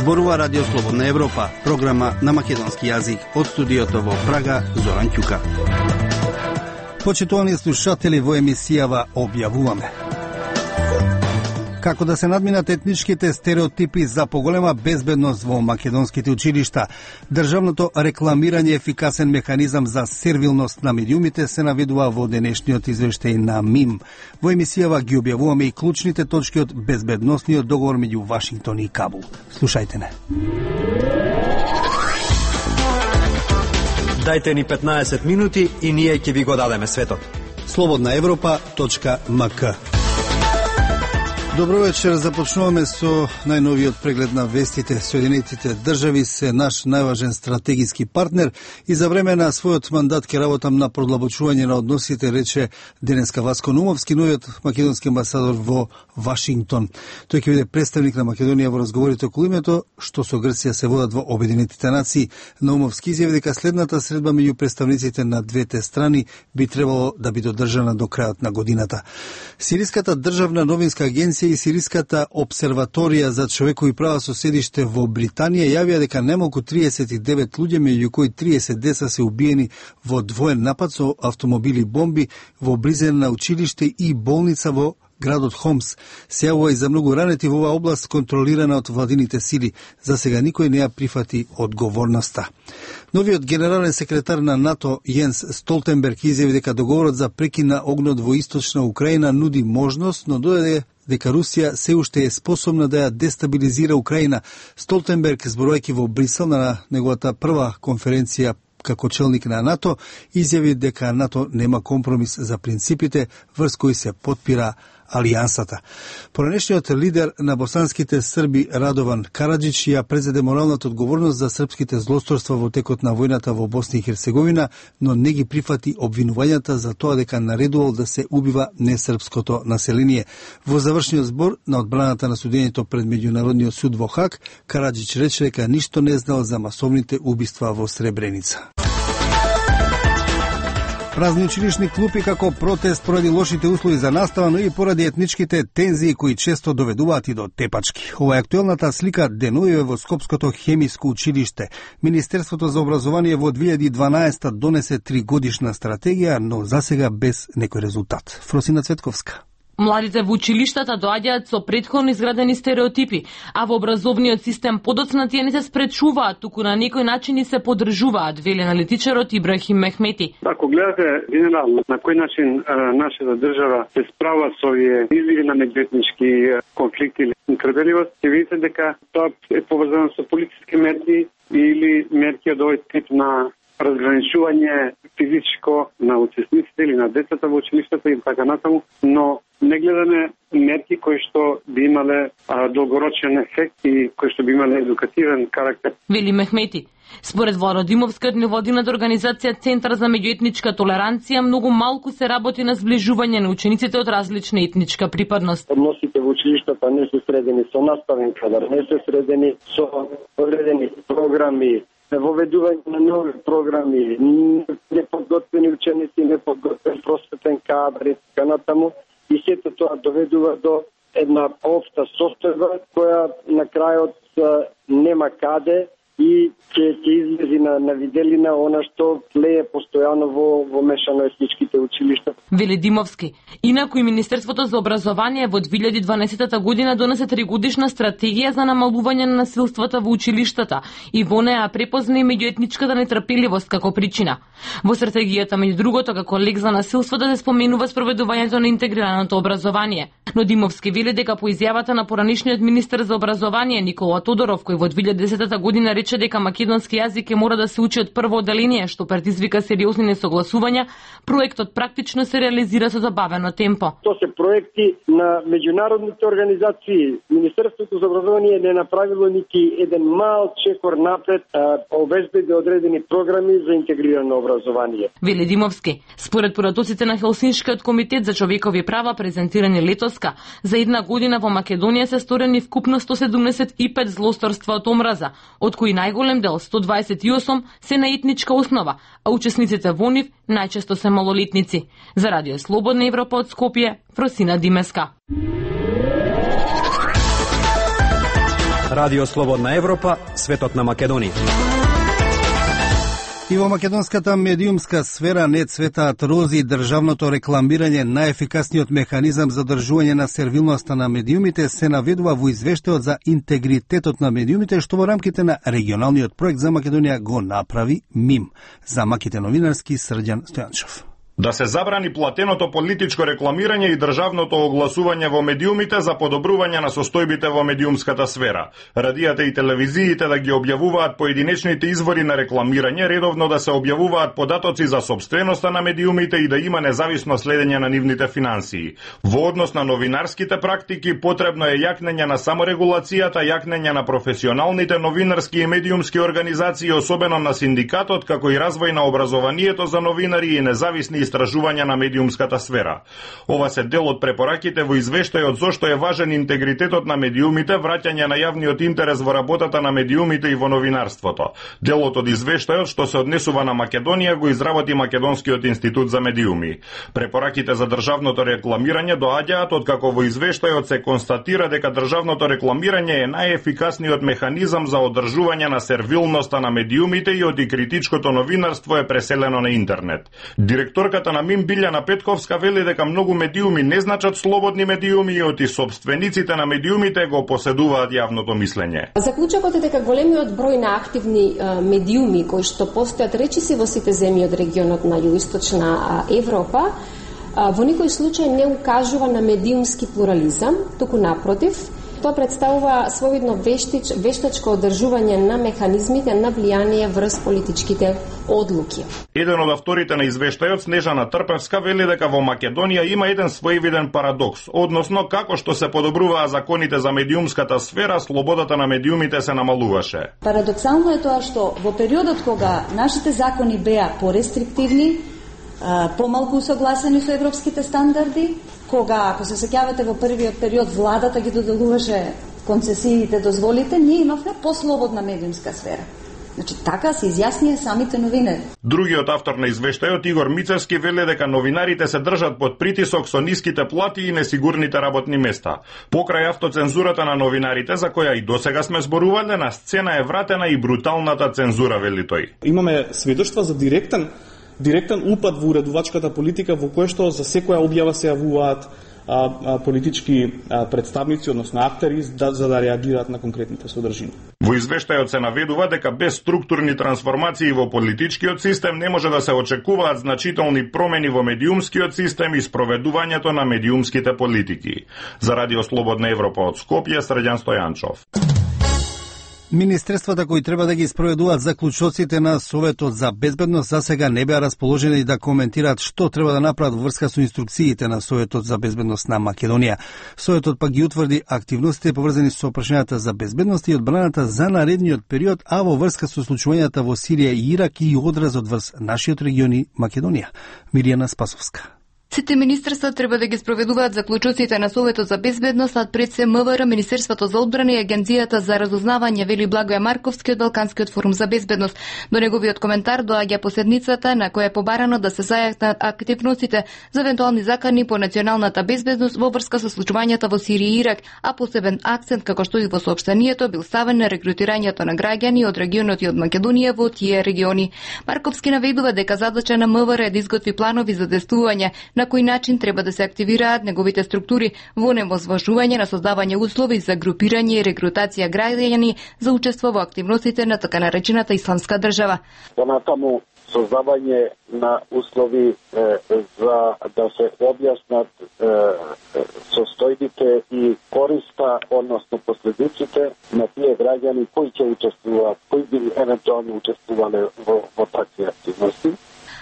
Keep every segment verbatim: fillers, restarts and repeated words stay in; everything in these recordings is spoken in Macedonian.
Зборува Радио Слободна Европа, програма на македонски јазик. Од студиото во Прага, Зоран Ќука. Почитувани слушатели, во емисијава објавуваме како да се надминат етничките стереотипи за поголема безбедност во македонските училишта. Државното рекламирање ефикасен механизам за сервилност на медиумите се наведува во денешниот извештај на МИМ. Во емисијава ги објавуваме и клучните точки од безбедносниот договор меѓу Вашингтон и Кабул. Слушајте не. Дајте ни петнаесет минути и ние ќе ви го дадеме светот. слободна европа точка ем ка. Добро вечер, започнуваме со најновиот преглед на вестите. Соединетите држави се наш најважен стратегиски партнер и за време на својот мандат ќе работам на продлабочување на односите, рече денеска Васко Наумовски, новиот македонски амбасадор во Вашингтон. Тој ќе биде представник на Македонија во разговорите околу името што со Грција се водат во Обединетите нации. Наумовски изјави дека следната средба меѓу представниците на двете страни би требало да биде одржана до крајот на годината. Сириската државна новинска агенција и Сириската обсерваторија за човекови права со седиште во Британија јавија дека најмалку триесет и девет луѓе, меѓу кои триесет деца се убиени во двоен напад со автомобили бомби во близина на училиште и болница во градот Хомс. Се јавува и за многу ранети во оваа област контролирана од владините сили. За сега никој не ја прифати одговорноста. Новиот генерален секретар на НАТО Јенс Столтенберг изјави дека договорот за прекин на огнот во источна Украина нуди можност, но додаде дека Русија се уште е способна да ја дестабилизира Украина. Столтенберг, зборувајќи во Брисел на неговата прва конференција како челник на НАТО, изјави дека НАТО нема компромис за принципите врз кои се потпира алијансата. Поранешниот лидер на босанските срби Радован Караджич ја презеде моралната одговорност за српските злосторства во текот на војната во Босна и Херцеговина, но не ги прифати обвинувањата за тоа дека наредувал да се убива несрпското население. Во завршниот збор на одбраната на судењето пред меѓународниот суд во Хаг, Караджич рече дека ништо не знал за масовните убиства во Сребреница. Празни училишни клупи како протест поради лошите услови за настава, но и поради етничките тензии кои често доведуваат и до тепачки. Ова е актуелната слика денојуве во Скопското хемиско училиште. Министерството за образование во две илјади и дванаесета донесе тригодишна стратегија, но засега без некој резултат. Фросина Цветковска. Младите во училиштата доаѓаат со претходно изградени стереотипи, а во образовниот систем подоцна тие не се спречуваат, туку на некој начин и се поддржуваат, вели аналитичарот Ибрахим Мехмети. Ако гледате генерално на кој начин а, нашата држава се справа со овие изливи на меѓуетнички конфликти или нетрпеливост, ќе видите дека тоа е поврзано со политички мерки или мерки од овој тип на разграничување физичко на учесниците или на децата во училиштата и така натаму, но не гледаме мерки кои што би имале а, долгорочен ефект и кои што би имале едукативен карактер. Вели Мехмети. Според Владимовскиот невладината организација Центар за меѓуетничка толеранција, многу малку се работи на зближување на учениците од различна етничка припадност. Односите во училиштата не се средени со наставен кадар, не се средени со одредени програми, воведување на нови програми, неподготвени ученици, неподготвен просветен кадар и така натаму. И сето тоа доведува до една општа состојба која на крајот нема каде и ќе ќе излези на, на виделина она што лее постојано во, во мешано етничките училишта. Вели Димовски. Инаку и Министерството за образование во две илјади и дванаесета година донесе тригодишна стратегија за намалување на насилствата во училиштата и во неа препозна и меѓуетничката нетрпеливост како причина. Во стратегијата меѓу другото како лек за насилството се споменува спроведувањето на интегрираното образование. Но Димовски вели дека по изјавата на поранишниот министер за образование Никола Тодоров, кој во две илјади и десета година рече дека македонски јазик е мора да се учи од прво одделение, што предизвика сериозни несогласувања, проектот практично се реализира со забавено темпо. Тоа се проекти на меѓународните организации. Министерството за образование не направило нити еден мал чекор напред, а обезбеди одредени програми за интегрирано образование. Вели Димовски. Според поратоците на Хелсиншкиот комитет за човекови права презентирани летоска, за една година во Македонија се сторени вкупно сто седумдесет и пет злосторства од омраза, од кои најголем дел сто дваесет и осум се на етничка основа, а учесниците во нив најчесто се малолетници. За Радио Слободна Европа од Скопје, Фросина Димеска. Радио Слободна Европа, светот на Македонија. И во македонската медиумска сфера не цветаат рози, државното рекламирање, најефикасниот механизам за држување на сервилноста на медиумите, се наведува во извештајот за интегритетот на медиумите, што во рамките на регионалниот проект за Македонија го направи МИМ. За Маките новинарски Срđan Стојанчов. Да се забрани платеното политичко рекламирање и државното огласување во медиумите за подобрување на состојбите во медиумската сфера. Радијата и телевизиите да ги објавуваат поединечните извори на рекламирање, редовно да се објавуваат податоци за собственоста на медиумите и да има независно следење на нивните финансии. Во однос на новинарските практики, потребно е јакнење на саморегулацијата, јакнење на професионалните новинарски и медиумски организации, особено на синдикатот, како и развој на образованието за новинари и независни истражувања на медиумската сфера. Ова се дел од препораките во извештајот зошто е важен интегритетот на медиумите, враќање на јавниот интерес во работата на медиумите и во новинарството. Делот од извештајот што се однесува на Македонија го изработи Македонскиот институт за медиуми. Препораките за државното рекламирање доаѓаат откако во извештајот се констатира дека државното рекламирање е најефикасниот механизам за одржување на сервилноста на медиумите и од и критичкото новинарство е преселено на интернет. Директорка на МИМ Билјана Петковска вели дека многу медиуми не значат слободни медиуми и оти собствениците на медиумите го поседуваат јавното мислење. Заклучокот е дека големиот број на активни а, медиуми кои што постојат речиси во сите земји од регионот на југоисточна Европа, а, во никој случај не укажува на медиумски плурализам, туку напротив, тоа представува своевидно вештич, вештачко одржување на механизмите на влијание врз политичките одлуки. Еден од авторите на извештајот, Снежана Трпевска, вели дека во Македонија има еден своевиден парадокс, односно како што се подобруваа законите за медиумската сфера, слободата на медиумите се намалуваше. Парадоксално е тоа што во периодот кога нашите закони беа порестриктивни, помалку согласени со европските стандарди, кога, ако се сеќавате во првиот период, владата ги доделуваше концесиите, дозволите, ние имавме послободна медиумска сфера. Значи, така се изјаснија самите новинари. Другиот автор на извештајот, Игор Мицевски, вели дека новинарите се држат под притисок со ниските плати и несигурните работни места. Покрај автоцензурата на новинарите, за која и досега сме зборувале, на сцена е вратена и бруталната цензура, вели тој. Имаме сведоштва за директен директен упад во уредувачката политика, во кој што за секоја објава се јавуваат а, а, политички а, представници, односно актери, да, за да реагираат на конкретните содржини. Во извештајот се наведува дека без структурни трансформации во политичкиот систем не може да се очекуваат значителни промени во медиумскиот систем и спроведувањето на медиумските политики. За Радио Слободна Европа од Скопје, Срđan Стојанчов. Министерствата кои треба да ги спроведуваат заклучоците на Советот за безбедност за сега не беа расположени да коментираат што треба да направат во врска со инструкциите на Советот за безбедност на Македонија. Советот пак ги утврди активностите поврзани со прашањата за безбедност и одбраната за наредниот период, а во врска со случувањата во Сирија и Ирак и одразот врз нашиот регион и Македонија. Миријана Спасовска. Сите министерства треба да ги спроведуваат заклучоците на Советот за безбедност, а пред се МВР, Министерството за одбрана и Агенцијата за разузнавање, вели Благоја Марковски од Балканскиот форум за безбедност. До неговиот коментар доаѓа поседницата на која е побарано да се зајакнат активностите за евентуални закани по националната безбедност во врска со случувањата во Сирија и Ирак, а посебен акцент, како што и во соопштението, бил ставен на рекрутирањето на граѓани од регионот и од Македонија во тие региони. Марковски наведува дека задача на МВР е да изготви планови за действување на кој начин треба да се активираат неговите структури во невозважување на создавање услови за групирање и рекрутација граѓани за учество во активностите на така наречената исламска држава. Понатаму создавање на услови е, за да се објаснат е, состојбите и користа, односно последиците на тие граѓани кои ќе учествуваат, кои би евентуално учествувале во, во такви активности.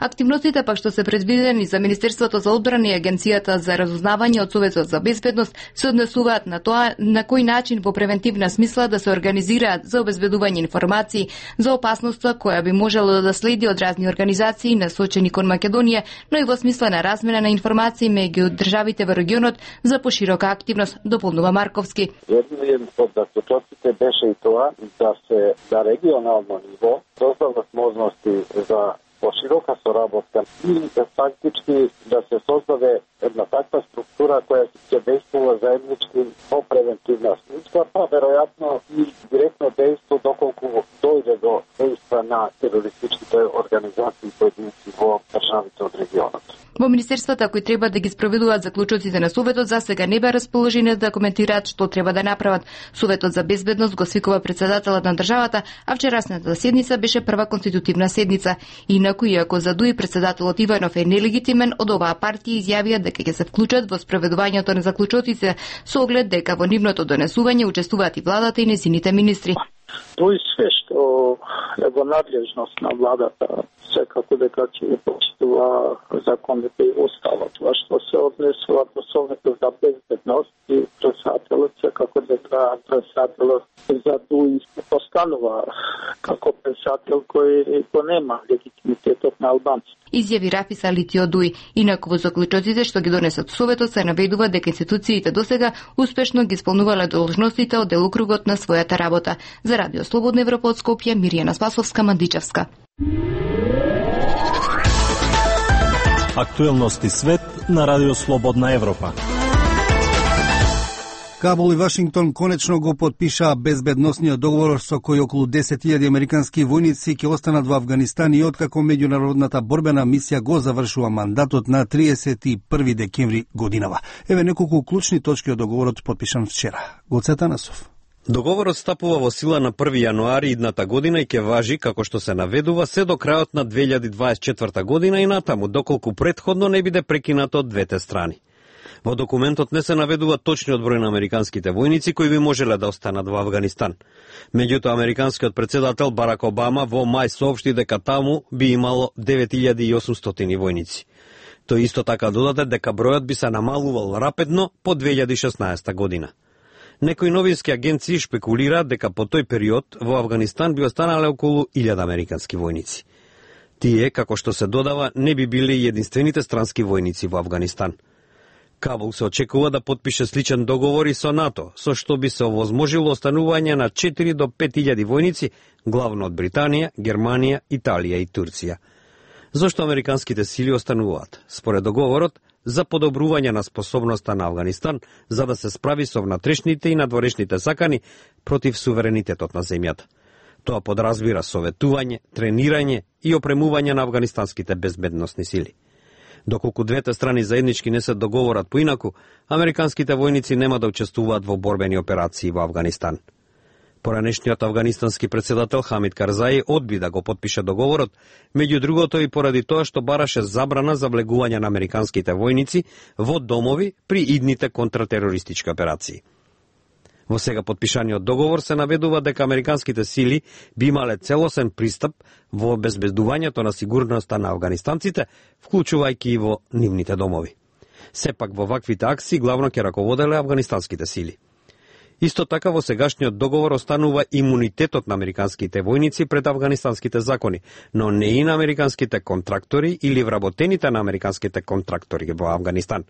Активностите пак што се предвидени за Министерството за одбрана и Агенцијата за разузнавање од Советот за безбедност се однесуваат на тоа на кој начин во превентивна смисла да се организираат за обезбедување информации за опасноста која би можело да следи од разни организации насочени кон Македонија, но и во смисла на размена на информации меѓу државите во регионот за поширока активност, дополнува Марковски. Еден од заклучоците беше и тоа да се на регионално ниво создадат можности за поширока соработка и фактички да се создаде една таква структура која ќе действува заеднички по превентивна смисла, па веројатно и на терористичките организации и поединци во државите од регионот. Во министерствата кои треба да ги спроведуваат заклучоците на Советот за сега не беа расположени да коментираат што треба да направат. Советот за безбедност го свикува председателот на државата, а вчерасната седница беше прва конститутивна седница. Инаку, иако за Дуи председателот Иванов е нелегитимен, од оваа партија изјавија дека ќе се вклучат во спроведувањето на заклучоците со оглед дека во нивното донесување учествуваат и владата и незините министри. Тој све што е во надлежност на владата, секако дека ќе почитува законите и остава. Това што се однесува до Советот за безбедност и председателот, секако дека председателот за Дуи постанува како председател кој го нема легитимитетот на албанците. Изјави Рафис Алити од Дуи. Инаку во заклучоците што ги донесат Советот се наведува дека институциите досега успешно ги исполнувале должностите од делокругот на својата работа. За Радио Слободна Европа од Скопје, Миријана Спасовска, Мандичевска. Актуелности свет на Радио Слободна Европа. Кабул и Вашингтон конечно го потпишаа безбедносниот договор со кој околу десет илјади американски војници ќе останат во Авганистан и откако меѓународната борбена мисија го завршува мандатот на триесет и први декември годинава. Еве неколку клучни точки од договорот потпишан вчера. Гоце Танасов. Договорот стапува во сила на први јануари идната година и ќе важи, како што се наведува, се до крајот на две илјади дваесет и четврта година и натаму, доколку претходно не биде прекинато од двете страни. Во документот не се наведува точниот број на американските војници кои би можеле да останат во Авганистан. Меѓутоа, американскиот председател Барак Обама во мај соопшти дека таму би имало девет илјади и осумстотини војници. Тој исто така додаде дека бројот би се намалувал рапидно по две илјади и шеснаесета година. Некои новински агенции шпекулираат дека по тој период во Авганистан би останале околу илјада американски војници. Тие, како што се додава, не би биле единствените странски војници во Авганистан. Кабул се очекува да потпише сличен договор и со НАТО, со што би се овозможило останување на четири до пет илјади војници, главно од Британија, Германија, Италија и Турција. Зошто американските сили остануваат? Според договорот, за подобрување на способноста на Авганистан за да се справи со внатрешните и надворешните сакани против суверенитетот на земјата. Тоа подразбира советување, тренирање и опремување на афганистанските безбедносни сили. Доколку двете страни заеднички не се договорат поинаку, американските војници нема да учествуваат во борбени операции во Авганистан. Поранешниот афганистански председател Хамид Карзаи одби да го потпише договорот, меѓу другото и поради тоа што бараше забрана за влегување на американските војници во домови при идните контратерористички операции. Во сега потпишаниот договор се наведува дека американските сили би имале целосен пристап во обезбедувањето на сигурноста на афганистанците, вклучувајќи и во нивните домови. Сепак во ваквите акции главно ќе раководеле афганистанските сили. Исто така во сегашниот договор останува имунитетот на американските војници пред афганистанските закони, но не и на американските контрактори или вработените на американските контрактори во Авганистан.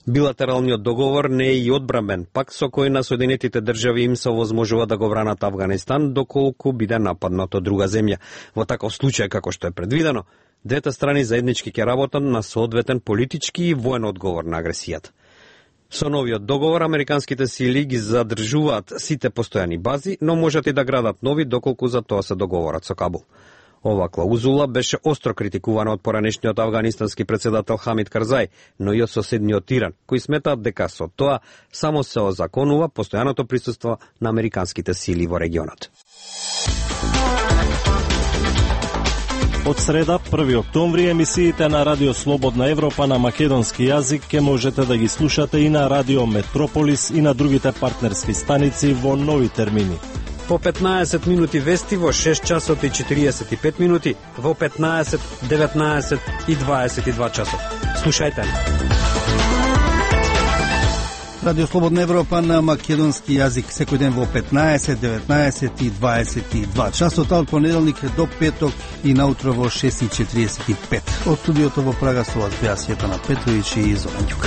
Билатералниот договор не е и одбранбен пак со кој на Соединетите држави им се овозможува да го бранат Авганистан доколку биде нападнат од друга земја. Во таков случај како што е предвидено, двете страни заеднички ќе работат на соодветен политички и воен одговор на агресијата. Со новиот договор американските сили ги задржуваат сите постојани бази, но можат и да градат нови доколку за тоа се договорат со Кабул. Ова клаузула беше остро критикувана од поранешниот афганистански председател Хамид Карзаи, но и од соседниот Иран, кои сметаат дека со тоа само се озаконува постојаното присуство на американските сили во регионот. Од среда, први октомври, емисиите на Радио Слободна Европа на македонски јазик ќе можете да ги слушате и на Радио Метрополис и на другите партнерски станици во нови термини. По петнаесет минути вести во шест часот и четириесет и пет минути, во петнаесет, деветнаесет и дваесет и два часот. Слушајте. Радио Слободна Европа на македонски јазик секој ден во петнаесет, деветнаесет и дваесет и два часот, од понеделник до петок и наутро во шест и четириесет и пет. Од студиото во Прага со вас беа Светана Петровиќ и Зоран Ѓука.